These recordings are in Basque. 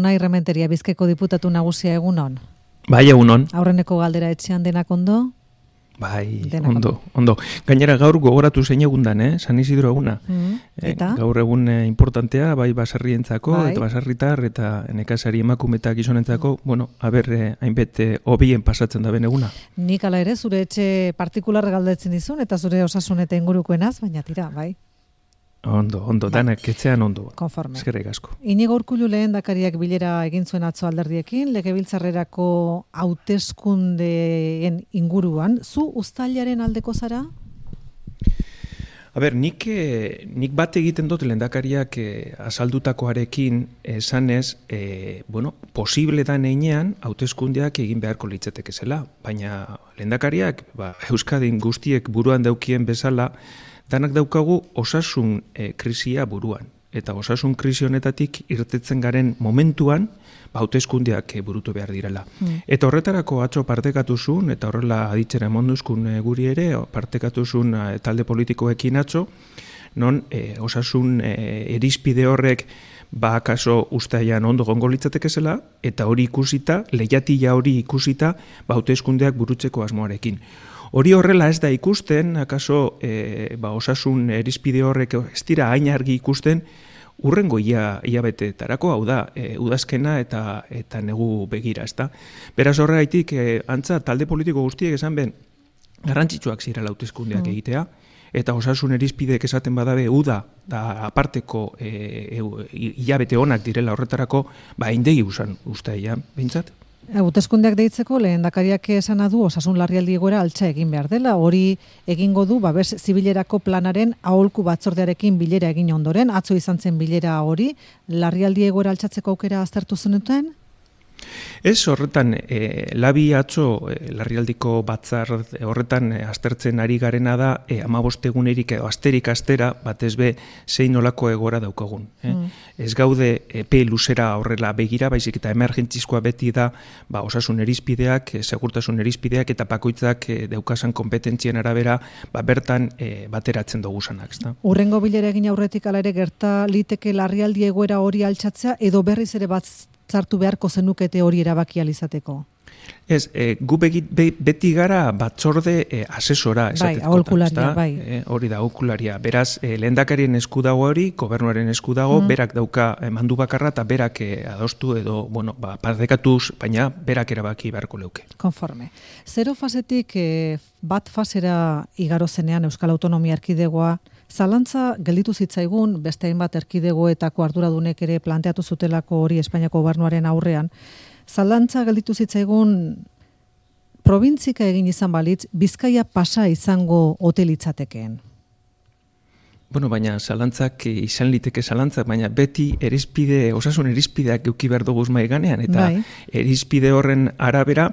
Unai Rementeria, Bizkaiko diputatu nagusia, egunon. Bai, egunon. Aurreneko galdera etxean denak ondo? Bai, ondo. Gainera gaur gogoratu zein egundan, San Isidro eguna. Eta? Gaur egun importantea, bai baserrientzako, eta baserritar, eta nekazari emakume eta gizonentzako, hainbet hobien pasatzen da ben eguna. Nik ala ere, zure etxe partikular galdetzen dizun, eta zure osasun eta ingurukoenaz, baina tira, bai? Ondo, danak etxean ondo. Konforme. Eskerrik asko. Inigo Urkullu lehendakariak bilera egin zuen atzo alderdiekin, legebiltzarrerako hauteskundeen inguruan, zu uztailaren aldeko zara? Nik bat egiten dut lehendakariak azaldutakoarekin esanez, posible da neinean hauteskundeak egin beharko litzateke zela, baina lehendakariak Euskadin guztiek buruan daukien bezala, danak daukagu osasun krisia buruan. Eta osasun krisi honetatik irtetzen garen momentuan, hauteskundeak burutu behar direla. Eta horretarako atzo partekatuzun, eta horrela aditzera emonduzkun guri ere, partekatuzun talde politikoekin atzo, non osasun irizpide horrek akaso ustaian ondo gongo litzateke zela, eta hori ikusita, lehiatila hori ikusita, hauteskundeak burutzeko asmoarekin. Hori horrela ez da ikusten, akaso osasun irizpide horrek ez dira hain argi ikusten, urrengo hilabeteetarako, hau da, udazkena eta negu begira, ezta. Beraz horregaitik, antza talde politiko guztiek esan ben, garrantzitsuak zirela hauteskundeak egitea, eta osasun irizpideek esaten badabe uda da aparteko hilabete onak direla horretarako, indegi usan ustaian, behintzat? Hauteskundeak deitzeko lehendakariak esana du osasun larrialdi egoera altxa egin behar dela. Hori egingo du babes zibilerako planaren aholku batzordearekin bilera egin ondoren, atzo izan zen bilera hori, larrialdi egoera altxatzeko aukera aztertu zenuten? Ez horretan, labi atzo larrialdiko batzar horretan aztertzen ari garena da 15 egunerik edo asterik astera batez be zein nolako egora daukagun. Ez gaude epe luzera horrela begira, baizik eta emergentzizkoa beti da osasun irizpideak, segurtasun irizpideak eta bakoitzak daukasan konpetentzien arabera bertan bateratzen dugu sanak. Urrengo bilera egin aurretik ala ere gerta liteke larrialdi egoera hori altxatzea edo berriz ere zartu beharko zenukete hori erabaki alizateko? Ez, gu beti gara batzorde asesora esateko. Aholkularia, bai. Hori da, aholkularia. Beraz, lehendakarien esku dago hori, gobernuaren esku dago, berak dauka mandu bakarra eta berak adostu edo, partekatuz, baina berak erabaki beharko leuke. Konforme. Zero fasetik bat fasera igaro zenean Euskal Autonomia Erkidegoa, zalantza gelditu zitzaigun, beste hainbat erkidegoetako arduradunek ere planteatu zutelako hori Espainiako gobernuaren aurrean, zalantza gelditu zitzaigun probintzika egin izan balitz, Bizkaia pasa izango ote litzatekeen. Baina zalantzak izan liteke zalantzak, baina beti osasun irizpideak euki behar duguz maiganean, eta irizpide horren arabera,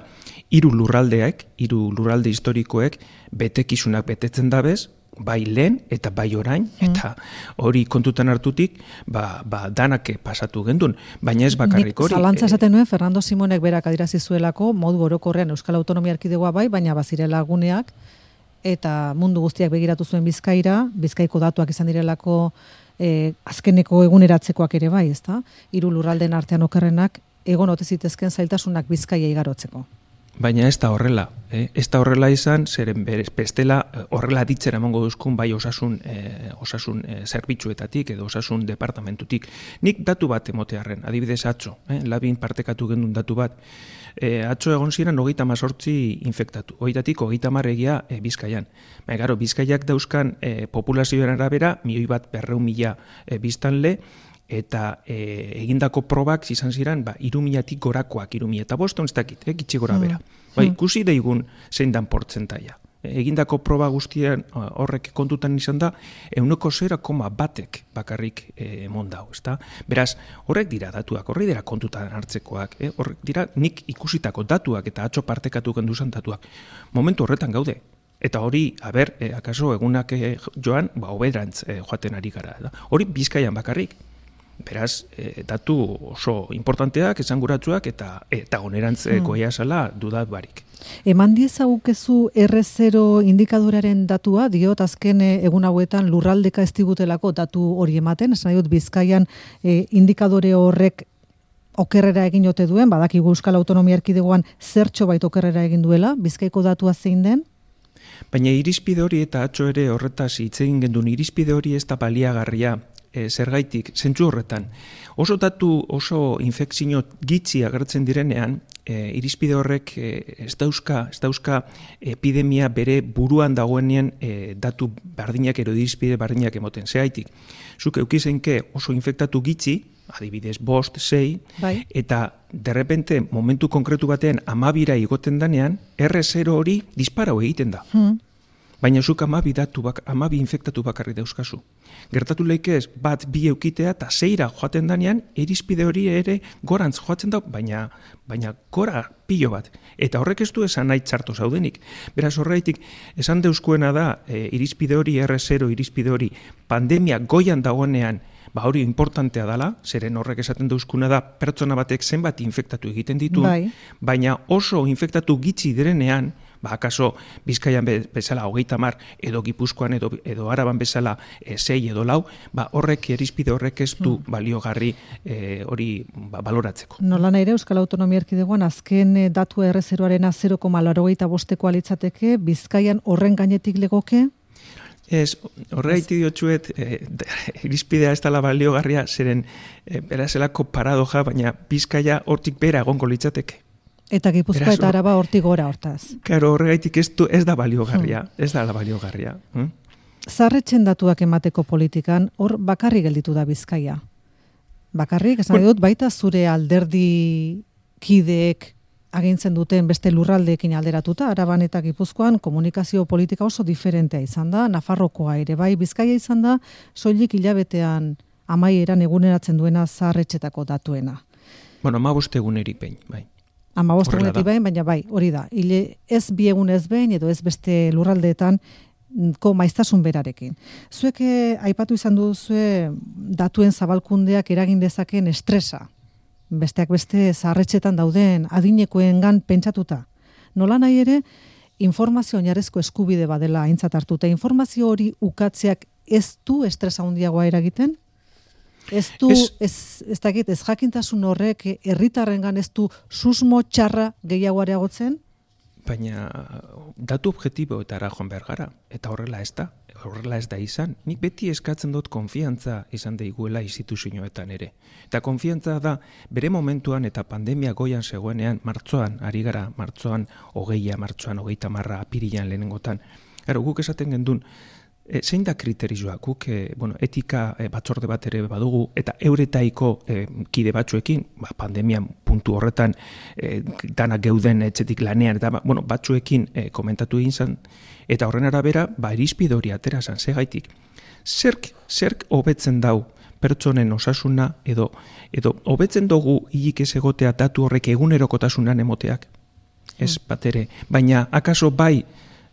hiru lurralde historikoek betekizunak betetzen dabez, bai lehen eta bai orain, eta hori kontutan hartutik, danak pasatu gendun, baina ez bakarrik hori. Zalantza esaten nuen, Fernando Simonek berak adirazi zuelako, modu orokorrean Euskal Autonomia Erkidegoa bai, baina bazirela guneak, eta mundu guztiak begiratu zuen Bizkaira, Bizkaiko datuak izan direlako azkeneko eguneratzekoak ere bai, ezta? Hiru lurraldeen artean okerrenak, egon ote zitezken zailtasunak Bizkaia igarotzeko. Baina ez da horrela, ez da horrela izan, zeren bestela horrela ditzera emango duzkun bai osasun zerbitzuetatik edo osasun departamentutik. Nik datu bat emotearren, adibidez atzo, labin partekatu gendun datu bat. Atzo egon ziren 38 infektatu, horietatik 30 egia Bizkaian. Baina Bizkaiak dauzkan populazioaren arabera, 1.200.000 biztanle, eta egindako probak izan ziren 3.000-tik gorakoak, 3.500 ez dakit, gitxi gora bera. Ikusi daigun zein dan portzentaia. Egindako proba guztien horrek kontutan izan da, 0,1 bakarrik mondau, ezta? Beraz, horrek dira datuak, horrek dira kontutan hartzekoak, horrek dira nik ikusitako datuak eta atzo partekatu genduzan datuak. Momentu horretan gaude. Eta hori, akaso egunak joan, hoberantz joaten ari gara. Hori Bizkaian bakarrik. Beraz, datu oso importanteak, esanguratsuak eta onerantz goia zala dudat barik. Eman diezagukezu R0 indikadoraren datua, diot azken egun hauetan lurraldeka ez digutelako datu hori ematen, esan dut Bizkaian indikadore horrek okerrera egin ote duen, badakigu Euskal Autonomia Erkidegoan zertxo bait okerrera egin duela, Bizkaiko datua zein den? Baina irizpide hori eta atzo ere horretaz hitz egin gendun, irizpide hori ez da baliagarria, zergaitik, zentzu horretan. Oso datu, oso infekzio gitxi agertzen direnean, irizpide horrek ez dauzka epidemia bere buruan dagoenean datu bardinak edo irizpide bardinak emoten. Zergaitik, zuk eukizeinke oso infektatu gitxi, adibidez 5, 6, bai. Eta derrepente momentu konkretu batean 12ra igoten danean, R0 hori disparau egiten da. Baina zuk 12 infektatu bakarri dauzkazu. Gertatu leikez, 1, 2 eukitea eta 6ra joaten danean, irizpide hori ere gorantz joatzen da, baina gora pilo bat. Eta horrek ez du esan nahi txarto zaudenik. Beraz horreitik, esan deuskuena da, irizpide hori, R0 irizpide hori, pandemia goian dagoenean, hori importantea dela, zeren horrek esaten dauzkuna da, pertsona batek zenbat infektatu egiten ditu, baina oso infektatu gitxi direnean, akaso Bizkaian bezala 30 edo Gipuzkoan edo Araban bezala 6 edo 4, horrek irizpide horrek ez du baliogarri hori baloratzeko. Nola nahi ere Euskal Autonomia Erkidegoan azken datu R0arena 0,85 litzateke, Bizkaian horren gainetik legoke? Ez, horregaiti diotxuet, irizpidea ez dela baliogarria, zeren berazelako paradoja, baina Bizkaia hortik bera egongo litzateke. Eta Gipuzkoa eta Araba hortik gora hortaz. Claro, horregaitik ez da baliogarria, ez da baliogarria. Zaharretxen datuak emateko politikan, hor bakarrik gelditu da Bizkaia. Bakarrik, esan dut, baita zure alderdi kideek agintzen duten beste lurraldeekin alderatuta, Araban eta Gipuzkoan komunikazio politika oso diferentea izan da, Nafarrokoa ere bai, Bizkaia izan da, soilik hilabetean amaieran eguneratzen duena zaharretxetako datuena. Bueno, 15 egunerik behin, bai. 15 egunetik behin, baina bai, hori da. Ez 2 egunez behin, edo ez beste lurraldeetan maiztasun berarekin. Zuek aipatu izan duzue datuen zabalkundeak eragin dezaken estresa. Besteak beste zaharretxetan dauden adinekoengan pentsatuta. Nola nahi ere, informazio oinarrezko eskubide badela aintzat hartuta. Informazio hori ukatzeak ez du estresa handiagoa eragiten? Ez jakintasun horrek herritarrengan ez du susmo txarra gehiago areagotzen? Baina datu objektiboetara joan behar gara, eta horrela ez da izan. Nik beti eskatzen dut konfiantza izan daiguela instituzioetan ere. Eta konfiantza da bere momentuan eta pandemia goian zegoenean, martxoan, ari gara, martxoan 20, martxoan 30, apirilean lehenengotan. Guk esaten gendun, zein da kriterioa, guk etika batzorde bat ere badugu, eta euretaiko kide batzuekin, pandemian puntu horretan danak geuden etxetik lanean, eta batzuekin komentatu egin zen, eta horren arabera, irizpide hori atera zen, segaitik. Zerk hobetzen dau pertsonen osasuna, edo hobetzen dugu hilik ez egotea datu horrek egunerokotasunan emoteak? Ez bat ere, baina akaso bai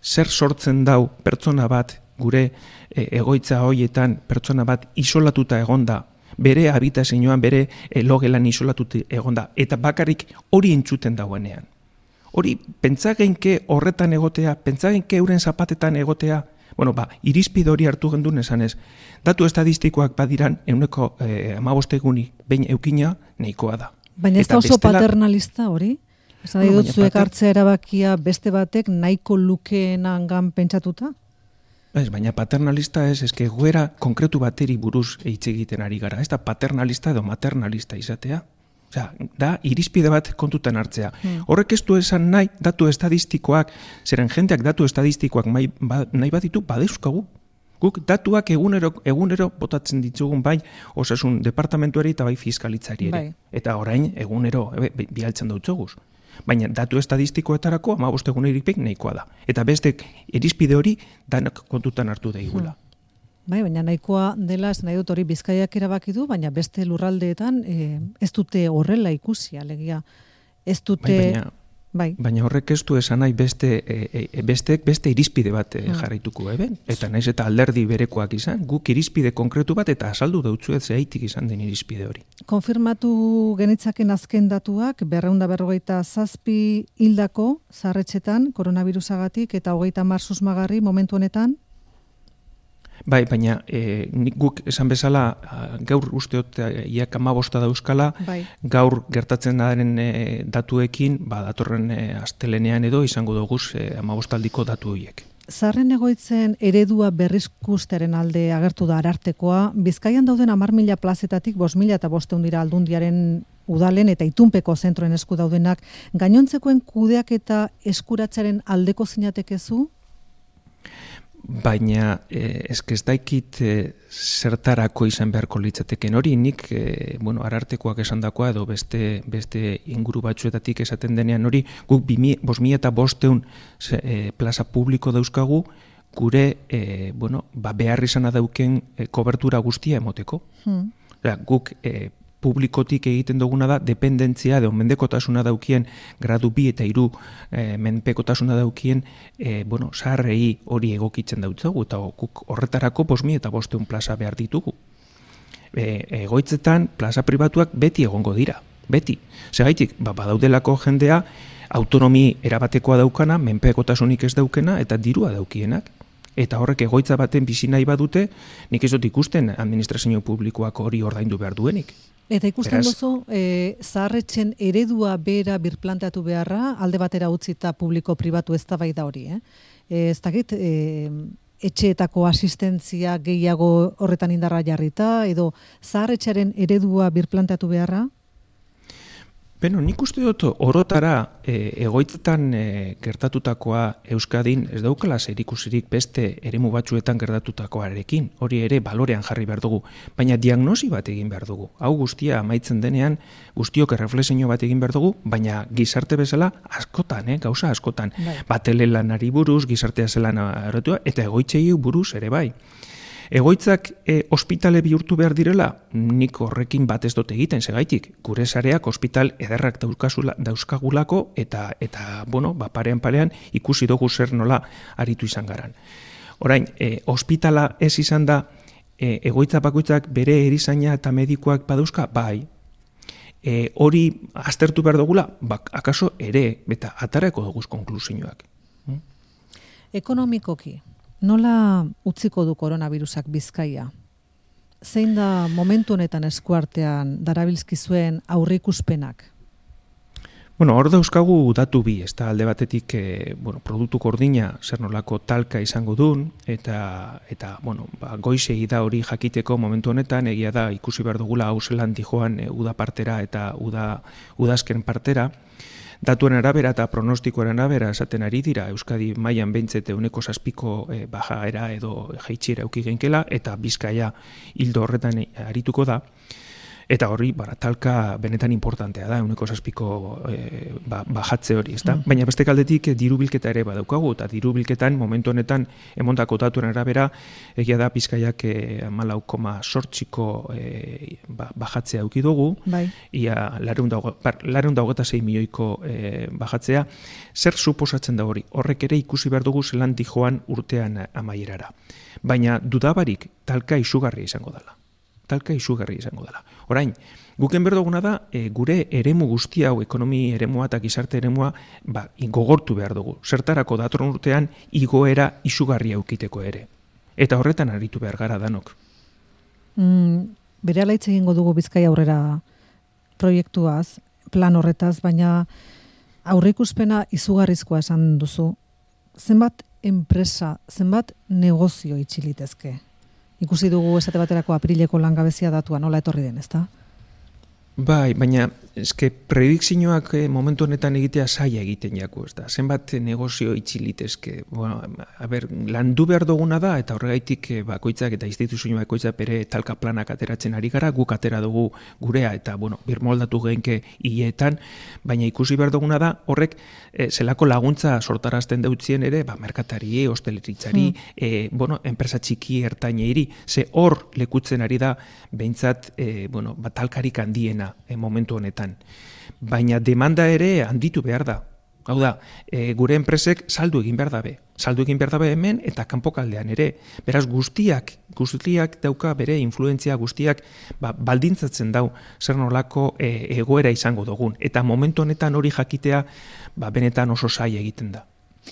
zer sortzen dau pertsona bat, gure egoitza hoietan pertsona bat isolatuta egonda, bere habitazioan, bere logelan isolatuta egonda, eta bakarrik hori entzuten dagoenean. Hori, pentsageinke horretan egotea, pentsageinke euren zapatetan egotea, irizpide hori hartu gendun esanez, datu estadistikoak badiran, 15 egunik behin eukina, nahikoa da. Baina ez da oso paternalista hori? Esan dut zuek hartzea erabakia beste batek nahiko lukeenangan pentsatuta? Ez, baina paternalista ez, eske goera konkretu bateri buruz hitz egiten ari gara. Ez da paternalista edo maternalista izatea. Osea, da irizpide bat kontutan hartzea. Horrek ez du esan nahi datu estadistikoak, zeren jendeak datu estadistikoak nahi baditu badeuzkagu. Guk datuak egunero botatzen ditugun bai osasun departamentuari eta bai fiskalitzari ere. Eta orain egunero bialtzen dautzoguz. Baina datu estadistikoetarako 15 egunerik nahikoa da. Eta beste irizpide hori danak kontutan hartu daigula. Baina nahikoa dela, ez nahi dut hori Bizkaiak erabaki du, baina beste lurraldeetan ez dute horrela ikusi, alegia. Ez dute... Baina horrek ez du esan nahi beste irizpide bat jarraituko eben. Eta naiz eta alderdi berekoak izan, guk irizpide konkretu bat eta azaldu dautzuet zehaitik izan den irizpide hori. Konfirmatu genitzaken azken datuak, 257 hildako zaharretxetan koronavirusagatik eta 30 susmagarri momentu honetan? Bai, baina guk esan bezala gaur usteot iak 15 dauzkala, gaur gertatzen daren datuekin, datorren astelenean edo izango dugu 15 aldiko datu horiek. Zaharren egoitzen eredua berrizkusteren alde agertu da Arartekoa, Bizkaian dauden 10.000 plazetatik 5.000 eta 500 dira Aldundiaren udalen eta itunpeko zentroen esku daudenak, gainontzekoen kudeak eta eskuratzearen aldeko zinatekezu? Baina ez daikit zertarako izan beharko litzateken hori, nik Arartekoak esandakoa edo beste inguru batzuetatik esaten denean hori, guk 5.000 eta 500 plaza publiko dauzkagu gure behar izana dauken kobertura guztia emoteko. Guk publikotik egiten duguna da, dependentzia edo mendekotasuna daukien gradu 2 eta 3 menpekotasuna daukien zaharrei hori egokitzen dautzagu, eta guk horretarako 5.000 eta 500 plaza behar ditugu. Egoitzetan plaza pribatuak beti egongo dira, beti. Segaitik, badaudelako jendea autonomi erabatekoa daukana, menpekotasunik ez daukena eta dirua daukienak. Eta horrek egoitza baten bizi nahi badute, nik ez dut ikusten administrazio publikoak hori ordaindu behar duenik. Eta ikusten duzu, zaharretxen eredua bera birplanteatu beharra, alde batera utzita publiko-pribatu eztabaida hori. Ez dakit, etxeetako asistentzia gehiago horretan indarra jarrita, edo zaharretxaren eredua birplanteatu beharra? Nik uste dut orotara egoitzetan gertatutakoa Euskadin ez daukala zerikusirik beste eremu batzuetan gertatutakoarekin, hori ere balorean jarri behar dugu, baina diagnosi bat egin behar dugu. Hau guztia amaitzen denean, guztiok erreflexio bat egin behar dugu, baina gizarte bezala askotan, gauza askotan. Batele lanari buruz, gizartea zelan aratua, eta egoitzei buruz ere bai. Egoitzak ospitale bihurtu behar direla, nik horrekin bat ez dut egiten, segaitik. Gure sareak ospital ederrak dauzkagulako eta parean ikusi dugu zer nola aritu izan garan. Orain, ospitala ez izan da, egoitza bakoitzak bere erizaina eta medikoak badauzka, bai. Hori aztertu behar dugula, akaso ere, eta atarako duguz konklusioak. Ekonomikoki, nola utziko du koronavirusak Bizkaia? Zein da momentu honetan eskuartean darabilzkizuen aurreikuspenak? Hor dauzkagu datu bi, ez da alde batetik produktu gordina zer nolako talka izango duen, eta goizei da hori jakiteko momentu honetan, egia da ikusi behar dugula hau zelan dijoan uda partera eta udazken partera. Datuen arabera eta pronostikoaren arabera esaten ari dira, Euskadi mailan behintzete 7% bajaera edo jaitsira eduki genkela, eta Bizkaia hildo horretan arituko da. Eta hori, talka benetan importantea da, 7% bajatze hori, ezta? Baina beste aldetik diru bilketa ere badaukagu, eta diru bilketan momentu honetan emondako datuen arabera, egia da Bizkaiak 14% bajatzea eduki dugu, ia 426 milioiko bajatzea. Zer suposatzen da hori? Horrek ere ikusi behar dugu zelan dijoan urtean amaierara. Baina dudabarik talka izugarria izango dela. Orain, guken berduguna da, gure eremu guzti hau, ekonomi eremua eta gizarte eremua, gogortu behar dugu. Zertarako datorren urtean igoera izugarria eukiteko ere. Eta horretan aritu behar gara danok. Berehala hitz egingo dugu Bizkaia aurrera proiektuaz, plan horretaz, baina aurreikuspena izugarrizkoa esan duzu. Zenbat enpresa, zenbat negozio itxilitezke? Ikusi dugu esate baterako aprileko langabezia datua nola etorri den, ezta? Bai, baina predikzioak momentu honetan egitea zaila egiten jako, ezta? Zenbat negozio itxilitezke. Landu behar duguna da, eta horregaitik bakoitzak eta instituzio bakoitzak bere talka planak ateratzen ari gara, guk atera dugu gurea, eta birmoldatu genke hileetan, baina ikusi behar duguna da, horrek zelako laguntza sortarazten deutzien ere, merkatari, hosteleritzari, enpresa txiki ertaineiri, ze hor lekutzen ari da, behintzat, talkarik handiena momentu honetan. Baina demanda ere handitu behar da. Hau da, gure enpresek saldu egin behar dabe. Saldu egin behar dabe hemen eta kanpokaldean ere. Beraz, guztiak dauka bere influentzia guztiak baldintzatzen dau zer nolako egoera izango dugun. Eta momentu honetan hori jakitea benetan oso zaila egiten da.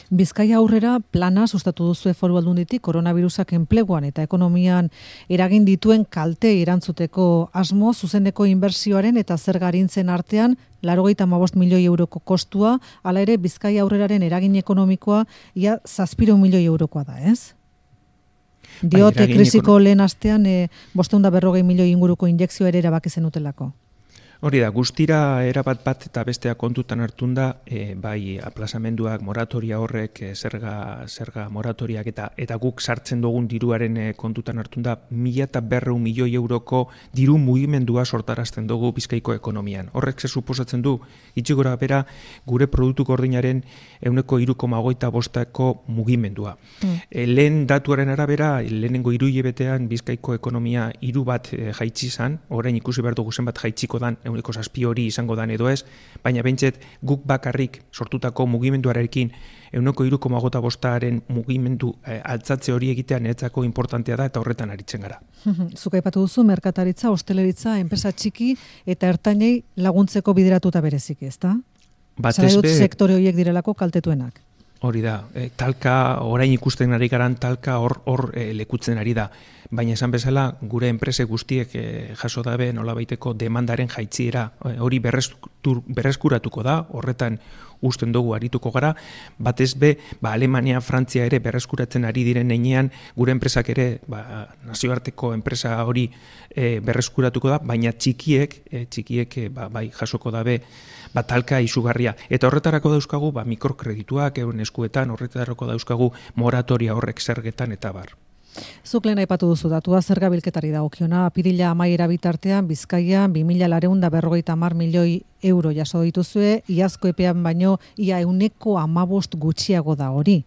Bizkaia aurrera plana sustatu duzu Foru Aldunditik koronavirusak enpleguan eta ekonomian eragin dituen kalte erantzuteko asmo zuzeneko inbertsioaren eta zergarintzen artean 95 milioi euroko kostua, hala ere Bizkaia aurreraren eragin ekonomikoa ia 700 milioi eurokoa da, ez? Diote krisiko lehen astean 540 milioi inguruko injekzioa ere erabaki zenutelako. Hori da, guztira erabat bat eta bestea kontutan hartunda, bai aplazamenduak, moratoria horrek, zerga moratoriak eta guk sartzen dugun diruaren kontutan hartunda 1.200 milioi euroko diru mugimendua sortarazten dugu Bizkaiko ekonomian. Horrek ze suposatzen du, itxigora bera gure produktu gordinaren 3,25ko mugimendua. Lehen datuaren arabera, lehenengo 3 hilabetean Bizkaiko ekonomia 3 bat jaitsi zan, orain ikusi behar dugu zenbat jaitziko dan, 7 hori izango dan edo ez, baina behintzet guk bakarrik sortutako mugimenduarekin 3,25aren mugimendu altzatze hori egitea niretzako importantea da eta horretan aritzen gara. Zuk aipatu duzu merkataritza, hosteleritza, enpresa txiki eta ertainei laguntzeko bideratuta bereziki, ezta? Batez be sektore horiek direlako kaltetuenak. Hori da, talka, orain ikusten ari garan talka hor lekutzen ari da. Baina esan bezala, gure enprese guztiek jaso dabe nolabaiteko demandaren jaitziera hori berreskuratuko da, horretan usten dugu arituko gara, batez be, Alemania, Frantzia ere berreskuratzen ari diren heinean, gure enpresak ere nazioarteko enpresa hori berreskuratuko da, baina txikiek bai jasoko dabe talka izugarria. Eta horretarako dauzkagu mikrokredituak euren eskuetan, horretarako dauzkagu moratoria horrek zergetan eta bar. Zuk lehen aipatu duzu datua zerga bilketari dagokiona, apirila amaiera bitartean Bizkaian 2.450 milioi euro jaso dituzue, iazko epean baino ia 115 gutxiago da hori.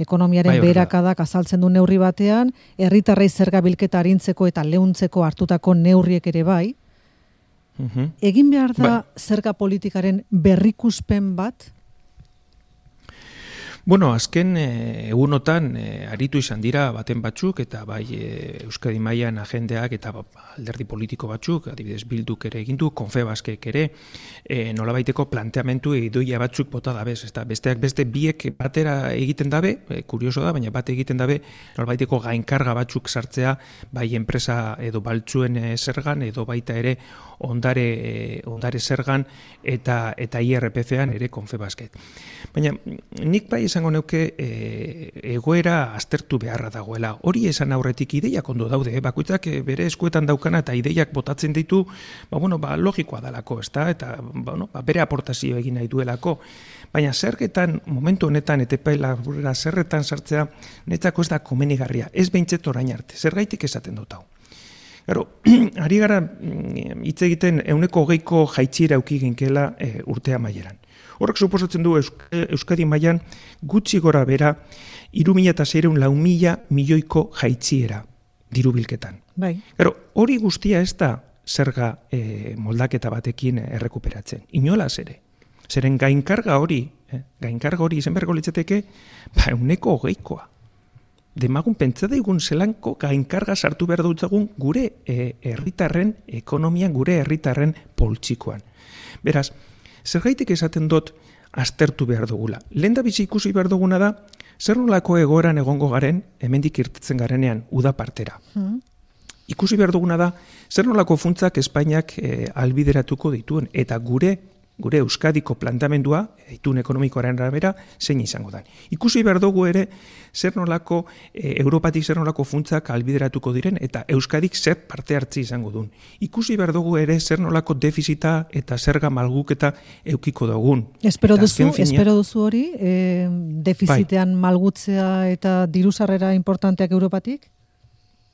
Ekonomiaren beherakadak azaltzen du neurri batean, herritarrei zerga bilketa arintzeko eta leuntzeko hartutako neurriek ere bai. Egin behar da zerga politikaren berrikuspen bat? Bueno, azken egunotan aritu izan dira baten batzuk eta bai Euskadi mailan agendeak eta alderdi politiko batzuk, adibidez Bilduk ere egin du, Confebaskek ere nolabaiteko planteamendu idoia batzuk bota dabez, ezta besteak beste biek batera egiten dabe, kurioso da, baina bat egiten dabe nolabaiteko gainkarga batzuk sartzea bai enpresa edo baltzuen zergan edo baita ere ondare zergan eta IRPF-an ere Confebaskek. Baina nik bai esango neuke egoera aztertu beharra dagoela. Hori esan aurretik ideiak ondo daude, bakoitzak bere eskuetan daukana eta ideiak botatzen ditu, logikoa dalako, ezta? Eta bere aportazio egin nahi duelako. Baina zergetan, momentu honetan, etepaila burera zerretan sartzea, netzako ez da komenigarria, ez behintzet orain arte, zergaitik esaten dut hau. Gero, ari gara hitz egiten 20ko jaitziera auki ginkela urtea maieran. Horrek suposatzen du Euskadi mailan gutxi gora bera 3.600 milioiko jaitziera diru bilketan. Bai. Gero, hori guztia ez da zerga moldaketa batekin errekuperatzen. Inolaz ere. Zeren gainkarga hori izan beharko litzateke 20koa. Demagun pentsa daigun zelanko gainkarga sartu behar dutzagun gure herritarren ekonomian, gure herritarren poltsikoan. Beraz, zergaitik esaten dut aztertu behar dugula. Lehendabizi ikusi behar duguna da, zer nolako egoeran egongo garen, hemendik irtetzen garenean, uda partera. Ikusi behar duguna da, zer nolako funtzak Espainiak albideratuko dituen, eta gure Euskadiko planteamendua, itun ekonomikoaren arabera, zein izango da. Ikusi behar dugu ere, zer nolako, Europatik zer nolako funtzak albideratuko diren, eta Euskadik zer parte hartzi izango duen. Ikusi behar dugu ere, zer nolako defizita eta zerga malguketa eukiko dugun. Espero duzu hori, defizitean malgutzea eta dirusarrera importanteak Europatik?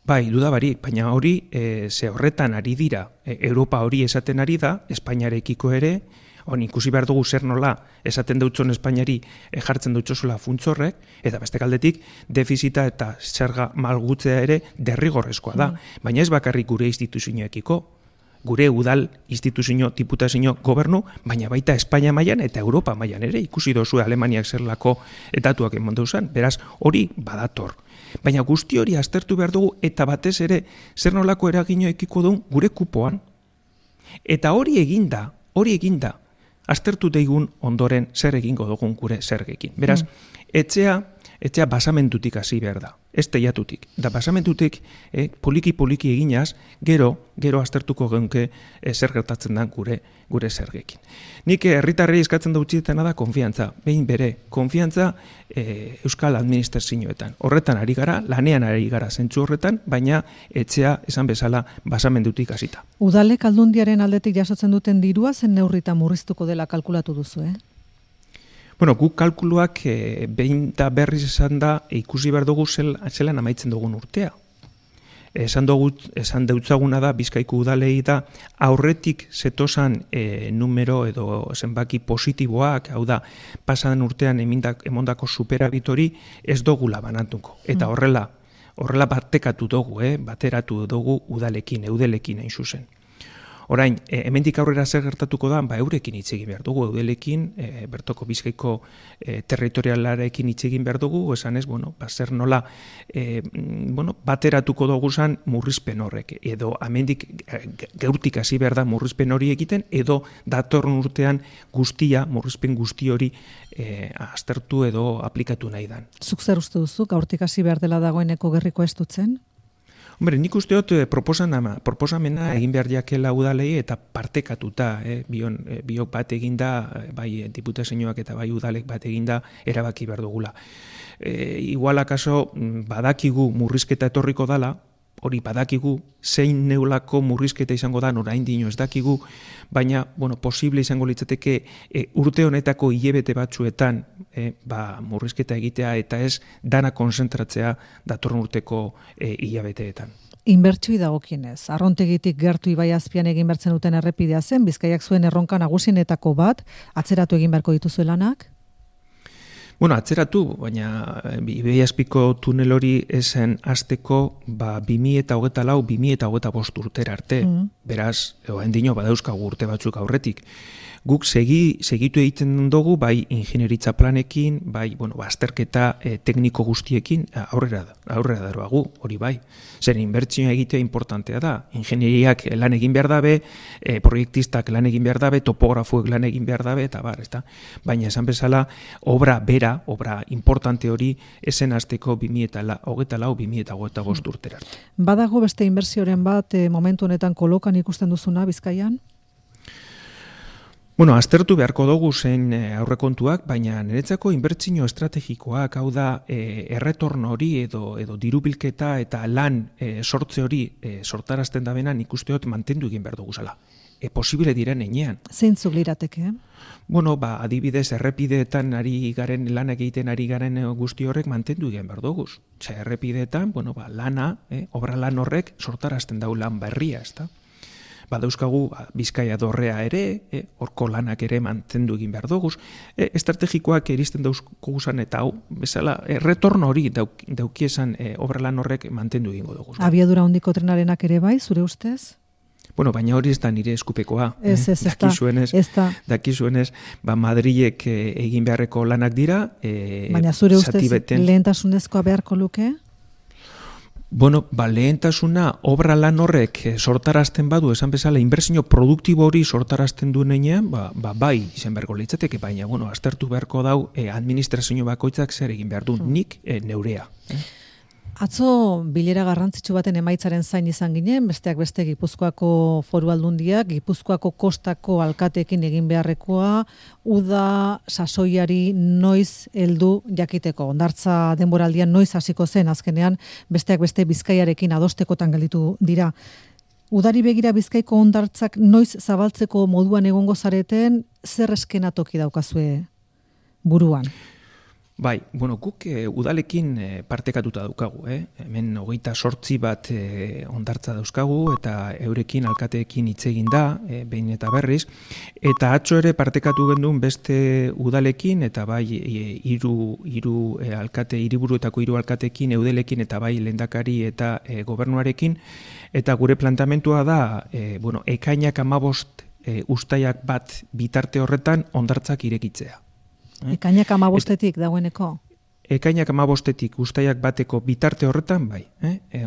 Bai, dudabarik, baina hori ze horretan ari dira, Europa hori esaten ari da, Espainiarekiko ere, ikusi behar dugu zer nola esaten dutzon Espainiari jartzen dutxosola funtzorrek, eta beste aldetik defizita eta zerga malgutzea ere derrigorrezkoa da. Baina ez bakarrik gure instituzioekiko, gure udal instituzio, diputazio gobernu, baina baita Espainia mailan eta Europa mailan ere, ikusi dozue Alemaniak zerlako datuak eman dauzan, beraz hori badator. Baina guzti hori aztertu behar dugu eta batez ere zer nolako eragino ekiko duen gure kupoan. Eta hori eginda, aztertu deigun ondoren zer egingo dugun gure zergekin. Beraz, etxea basamentutik hasi behar da, ez teiatutik. Da basamentutik poliki-poliki eginaz, gero aztertuko geunke zer gertatzen da gure zergekin. Nik herritarrei eskatzen dautzietena da konfiantza, behin bere, konfiantza Euskal Administrazioetan. Horretan ari gara, lanean ari gara zentzu horretan, baina etxea esan bezala basamentutik hasita. Udalek Aldundiaren aldetik jasotzen duten dirua zen neurrita murriztuko dela kalkulatu duzu, Bueno, guk kalkuluak behin da berriz esan da ikusi behar dugu zelan amaitzen dugun urtea. Esan deutzaguna da, Bizkaiko udalei da, aurretik zetosan numero edo zenbaki positiboak, hau da, pasadan urtean emondako superabitori ez dugula banatuko. Eta horrela bateratu dugu udalekin, eudelekin hain zuzen. Orain, hemendik aurrera zer gertatuko da, eurekin hitz egin behar dugu, eudelekin, bertoko Bizkaiko territorialarekin hitz egin behar dugu, esan ez, zer nola, bateratuko dugu zan murrizpen horrek, edo hemendik geurtik hasi behar da murrizpen hori egiten, edo datorren urtean murrizpen guzti hori aztertu edo aplikatu nahi dan. Zuk zer uste duzu, gaurtik hasi behar dela dagoeneko gerriko estutzen? Hombre, nik uste dut proposamena egin behar jakela udalei eta partekatuta, biok bat eginda, bai diputazioak eta bai udalek bat eginda erabaki behar dugula. Igual akaso badakigu murrizketa etorriko dala, hori badakigu, zein neulako murrizketa izango da, oraindik ez dakigu, baina, posible izango litzateke urte honetako hilabete batzuetan murrizketa egitea eta ez dana konzentratzea datorren urteko hilabeteetan. Inbertsioi dagokienez, Arrontegitik gertu ibai azpian egin bertzen duten errepidea zen, Bizkaiak zuen erronka nagusienetako bat, atzeratu egin beharko dituzue lanak? Atzeratu, baina ibai azpiko tunel hori esen hasteko 2024-2025 urtera arte. Beraz, oraindik badauzkagu urte batzuk aurretik. Guk segitu egiten dugu, bai ingenieritza planekin, bai azterketa tekniko guztiekin aurrera daroagu, hori bai. Zer inbertsioa egitea importantea da. Ingenieriak lan egin behar dabe, proiektistak lan egin behar dabe, topografoek lan egin behar dabe, eta ezta. Baina esan bezala, obra importante hori esen hasteko 2024-2025 urtera. Badago beste inbertsioren bat momentu honetan kolokan ikusten duzuna Bizkaian? Aztertu beharko dugu zen aurrekontuak, baina niretzako inbertsio estrategikoak, hau da erretorno hori edo dirubilketa eta lan sortze hori sortarazten da bena nik uste dut mantendu egin behar dugu zela. Posible diren enean. Zeintzuk lirateke? Adibidez, errepideetan lan egiten ari garen guzti horrek mantendu egin behar dugu. Errepideetan, lana, obra lan horrek sortarazten dau lan berria, ezta? Badauzkagu Bizkaia dorrea ere, horko lanak ere mantendu egin behar dugu. Estrategikoak iristen dauzkoguzan eta hau, bezala, retorno hori daukiesan obra lan horrek mantendu egingo dugu. Abiadura handiko trenarenak ere bai, zure ustez? Baina hori ez da nire eskupekoa. Dakizuenez, Madrilek egin beharreko lanak dira. Baina zure ustez lehentasunezkoa beharko luke? Lehentasuna obra lan horrek sortarazten badu, esan bezala, inbertsio produktibo hori sortarazten duen enean, bai, izan beharko litzateke, baina, aztertu beharko dau, administrazio bakoitzak zer egin behar du, nik neurea. Atzo bilera garrantzitsu baten emaitzaren zain izan ginen, besteak beste Gipuzkoako Foru Aldundiak, Gipuzkoako kostako alkateekin egin beharrekoa, uda sasoiari noiz heldu jakiteko. Hondartza denboraldian noiz hasiko zen azkenean, besteak beste Bizkaiarekin adostekotan gelditu dira. Udari begira Bizkaiko hondartzak noiz zabaltzeko moduan egongo zareten, zer eskenatoki daukazue buruan? Bai, guk udalekin partekatuta daukagu, hemen 28 bat hondartza dauzkagu eta eurekin alkateekin hitz egin da, behin eta berriz, eta atzo ere partekatu gendun beste udalekin eta bai hiru alkate, hiriburuetako 3 alkateekin, eudelekin eta bai lehendakari eta gobernuarekin, eta gure plantamentua da, ekainak 15 ustaiak bat bitarte horretan hondartzak irekitzea. Ekainak 15etik dagoeneko? ekainak 15etik uztaiak bateko bitarte horretan, bai,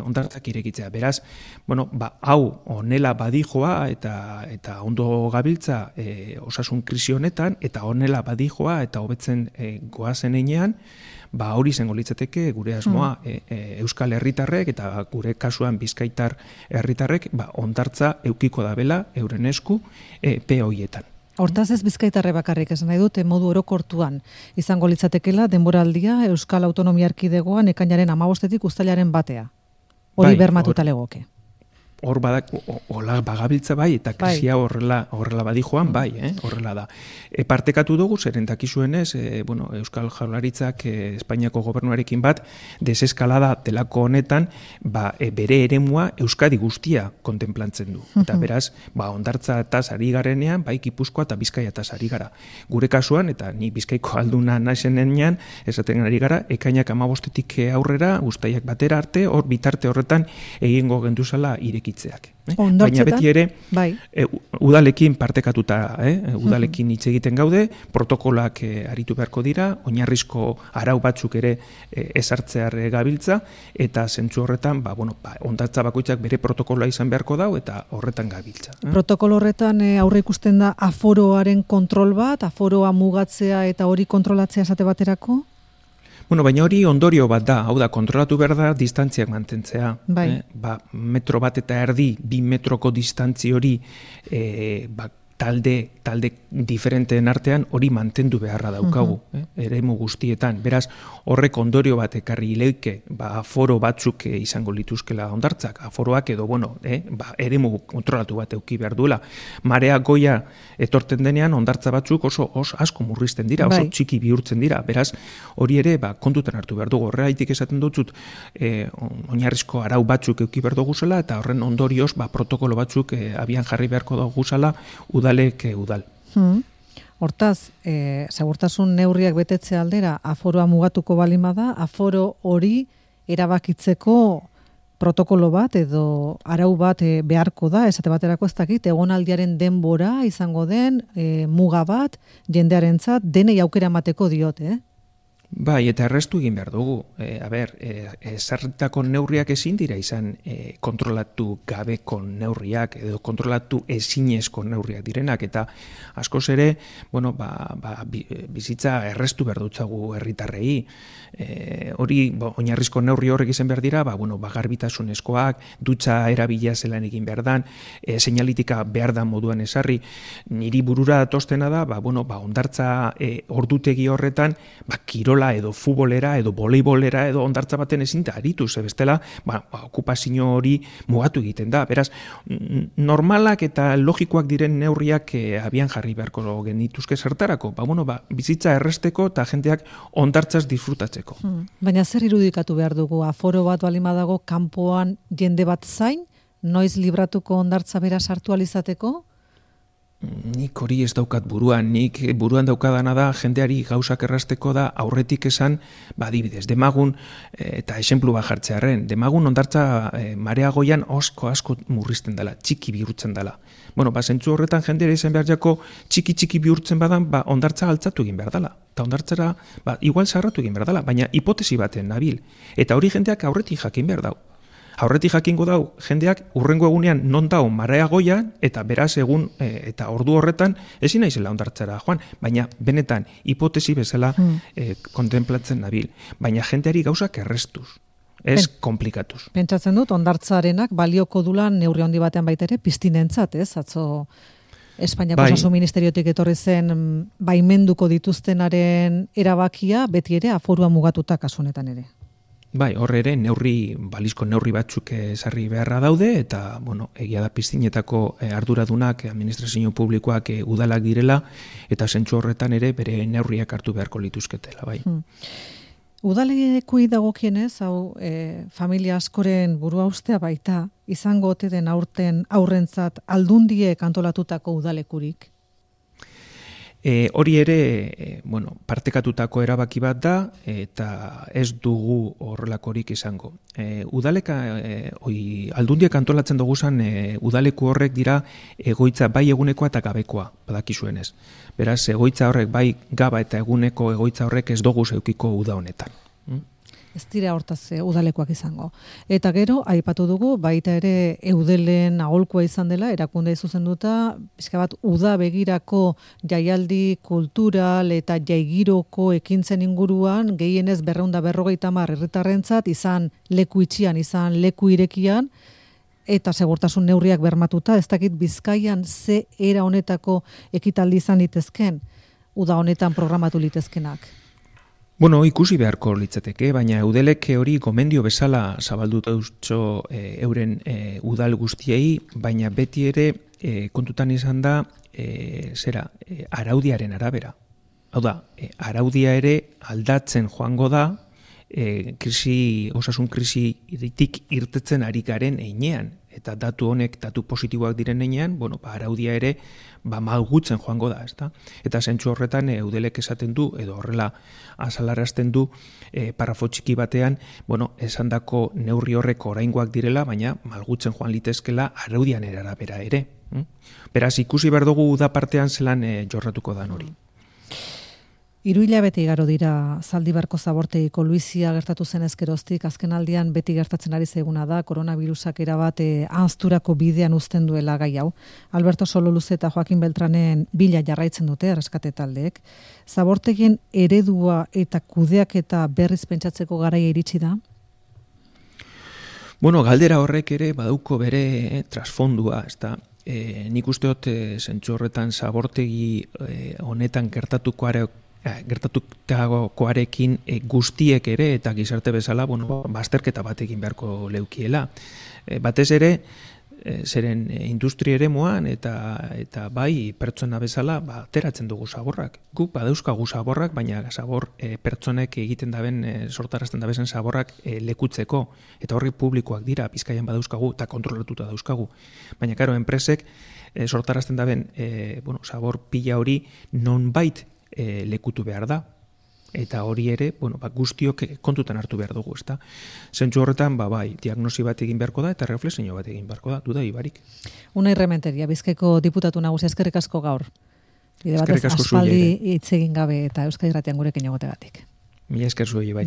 hondartzak irekitzea. Beraz, hau honela badijoa eta ondo gabiltza osasun krisi honetan, eta honela badijoa eta hobetzen goazen einean, hori izango litzateke gure asmoa Euskal Herritarrek eta gure kasuan Bizkaitar herritarrek hondartza eukiko dabela euren esku epe horietan. Hortaz ez Bizkaitarre bakarrik esan nahi dute modu orokortuan izango litzatekela denboraldia Euskal Autonomia Erkidegoan ekainaren 15etik uztailaren batea. Hori bermatuta legoke. Hor hola bagabiltza bai, eta krisia horrela badijoan bai, horrela da. Partekatu dugu, zeren dakizuenez, Euskal Jaurlaritzak Espainiako gobernuarekin bat, deseskalada delako honetan, bere eremua Euskadi guztia kontemplantzen du. Eta beraz, hondartza etaz ari garenean, bai Gipuzkoa eta Bizkaia etaz ari gara. Gure kasuan, eta ni Bizkaiko alduna naizenean, esaten ari gara, ekainak 15etik aurrera, uztaiak batera arte, hor bitarte horretan egingo genduzala ireki. Baina beti ere udalekin partekatuta, udalekin hitz egiten gaude, protokolak aritu beharko dira, oinarrizko arau batzuk ere ezartzear gabiltza, eta zentzu horretan, hondartza bakoitzak bere protokoloa izan beharko dau, eta horretan gabiltza. Protokolo horretan aurre ikusten da aforoaren kontrol bat, aforoa mugatzea eta hori kontrolatzea esate baterako? Baina hori ondorio bat da, hau da, kontrolatu behar da distantziak mantentzea. Metro bat eta erdi, 2 metroko distantzi hori talde diferenteen artean hori mantendu beharra daukagu, eremu guztietan. Beraz, horrek ondorio bat ekarri leike, aforo batzuk izango lituzkela hondartzak, aforoak edo, eremu kontrolatu bat euki behar duela. Marea goia etorten denean, hondartza batzuk oso asko murrizten dira, oso txiki bihurtzen dira. Beraz, hori ere, kontutan hartu behar dugu. Horreitik esaten dutzut, oinarrizko arau batzuk euki behar dugu zela, eta horren ondorioz, protokolo batzuk abian jarri beharko dugu zela, udalek udal. Hortaz, segurtasun neurriak betetze aldera, aforoa mugatuko balima da, aforo hori erabakitzeko protokolo bat edo arau bat beharko da, esate baterako ez dakit, egonaldiaren denbora izango den muga bat, jendearentzat denei aukera emateko diote, Bai, eta errestu egin behar dugu. Ezarritako neurriak ezin dira izan kontrolatu gabeko neurriak edo kontrolatu ezinezko neurriak direnak, eta askoz ere, bizitza errestu behar dutzagu herritarrei. Hori, oinarrizko neurri horrek izan behar dira, garbitasunezkoak, dutxa erabila zelan egin behar dan, seinalitika behar dan moduan ezarri. Niri burura datostena da, hondartza ordutegi horretan, kirola edo futbolera edo voleibolera edo hondartza baten ezin da aritu, bestela okupazio hori mugatu egiten da. Beraz, normalak eta logikoak diren neurriak abian jarri beharko genituzke zertarako, bizitza erresteko eta jendeak hondartzaz disfrutatzeko. Baina zer irudikatu behar dugu, aforo bat balima dago kanpoan jende bat zain, noiz libratuko hondartza bera sartu alizateko? Nik hori ez daukat buruan, nik buruan daukadana da jendeari gauzak errasteko da aurretik esan, adibidez, Demagun, eta esenplu bat jartzearen, Demagun hondartza marea goian asko murrizten dela, txiki bihurtzen dela. Zentzu horretan jendeari izan behar jako txiki bihurtzen badan, hondartza altzatu egin behar dela. Eta hondartzara, igual zarratu egin behar dela, baina hipotesi baten nabil. Eta hori jendeak aurretik jakin behar dau. Aurretik jakingo dau, jendeak urrengo egunean non dau marea goian, eta beraz egun eta ordu horretan ezin naizela hondartzara joan, baina benetan hipotesi bezala kontemplatzen nabil. Baina jendeari gauzak errestuz, ez komplikatuz. Pentsatzen dut, hondartzarenak balioko dulan neurri handi batean baita ere piztinentzat, ez? Atzo Espainiako Osasun Ministeriotik etorri zen baimenduko dituztenaren erabakia, beti ere aforua mugatuta kasu honetan ere. Bai, horre ere balizko neurri batzuk ezarri beharra daude, eta, egia da piztinetako arduradunak, administrazio publikoak udalak direla, eta zentzu horretan ere bere neurriak hartu beharko lituzketela, bai. Udalekui dagokienez, hau familia askoren burua ustea baita, izango ote den aurrentzat aldundiek antolatutako udalekurik? Hori ere, partekatutako erabaki bat da, eta ez dugu horrelakorik izango. Aldundiak antolatzen dugu zen, udaleku horrek dira egoitza bai egunekoa eta gabekoa, badakizuenez. Beraz, egoitza horrek bai gaba eta eguneko egoitza horrek ez dugu zeukiko uda honetan. ez dira hortaz udalekoak izango. Eta gero, aipatu dugu, baita ere eudelen aholkua izan dela, erakunde zuzenduta, pixka bat uda begirako jaialdi kultural eta jaigiroko ekintzen inguruan, gehienez 250 herritarrentzat izan leku itxian, izan leku irekian, eta segurtasun neurriak bermatuta, ez dakit Bizkaian ze era honetako ekitaldi izan litezken, uda honetan programatu litezkenak. Bueno, ikusi beharko litzateke, baina eudelek hori gomendio bezala zabaldu dauztxo euren udal guztiei, baina beti ere kontutan izan da araudiaren arabera. Hau da, araudia ere aldatzen joango da, osasun krisi iritik irtetzen ari garen einean, eta datu positiboak diren einean, araudia ere malgutzen joango da, ezta? Eta zentzu horretan eudelek esaten du, edo horrela azalarazten du, parrafo txiki batean, esandako neurri horrek oraingoak direla, baina malgutzen joan litezkela araudian arabera ere. Beraz, ikusi behar dugu da partean zelan jorratuko dan hori. 3 hilabete igaro dira Zaldibarko zabortegiko luizia gertatu zen ezkeroztik, azken aldian beti gertatzen ari zaiguna da, koronavirusak erabat ahazturako bidean uzten duela gai hau. Alberto Sololuze eta Joaquin Beltranen bila jarraitzen dute erreskate taldeek. Zabortegien eredua eta kudeaketa berriz pentsatzeko garaia iritsi da? Galdera horrek ere badauko bere trasfondua, ezta? Nik uste dut zentzu horretan zabortegi honetan gertatutakoarekin guztiek ere eta gizarte bezala bazterketa bat egin beharko leukiela. Batez ere, zeren industri eremuan eta bai pertsona bezala ateratzen dugu zaborrak. Guk badauzkagu zaborrak, baina zabor pertsonek egiten daben, sortarazten dabezen zaborrak lekutzeko. Eta horri publikoak dira, Bizkaian badauzkagu eta kontrolatuta dauzkagu. Baina, karo, enpresek sortarazten daben zabor pila hori nonbait lekutu behar da. Eta hori ere, guztiok kontutan hartu behar dugu, ezta? Zentzu horretan, bai, diagnosi bat egin beharko da eta reflexio bat egin beharko da, duda ibarik. Unai Rementeria, Bizkaiko diputatu nagusia, eskerrik asko gaur. Bide batez, aspaldi hitz egin gabe eta Euskadi Irratian gurekin egotegatik. Mila esker zuei bai.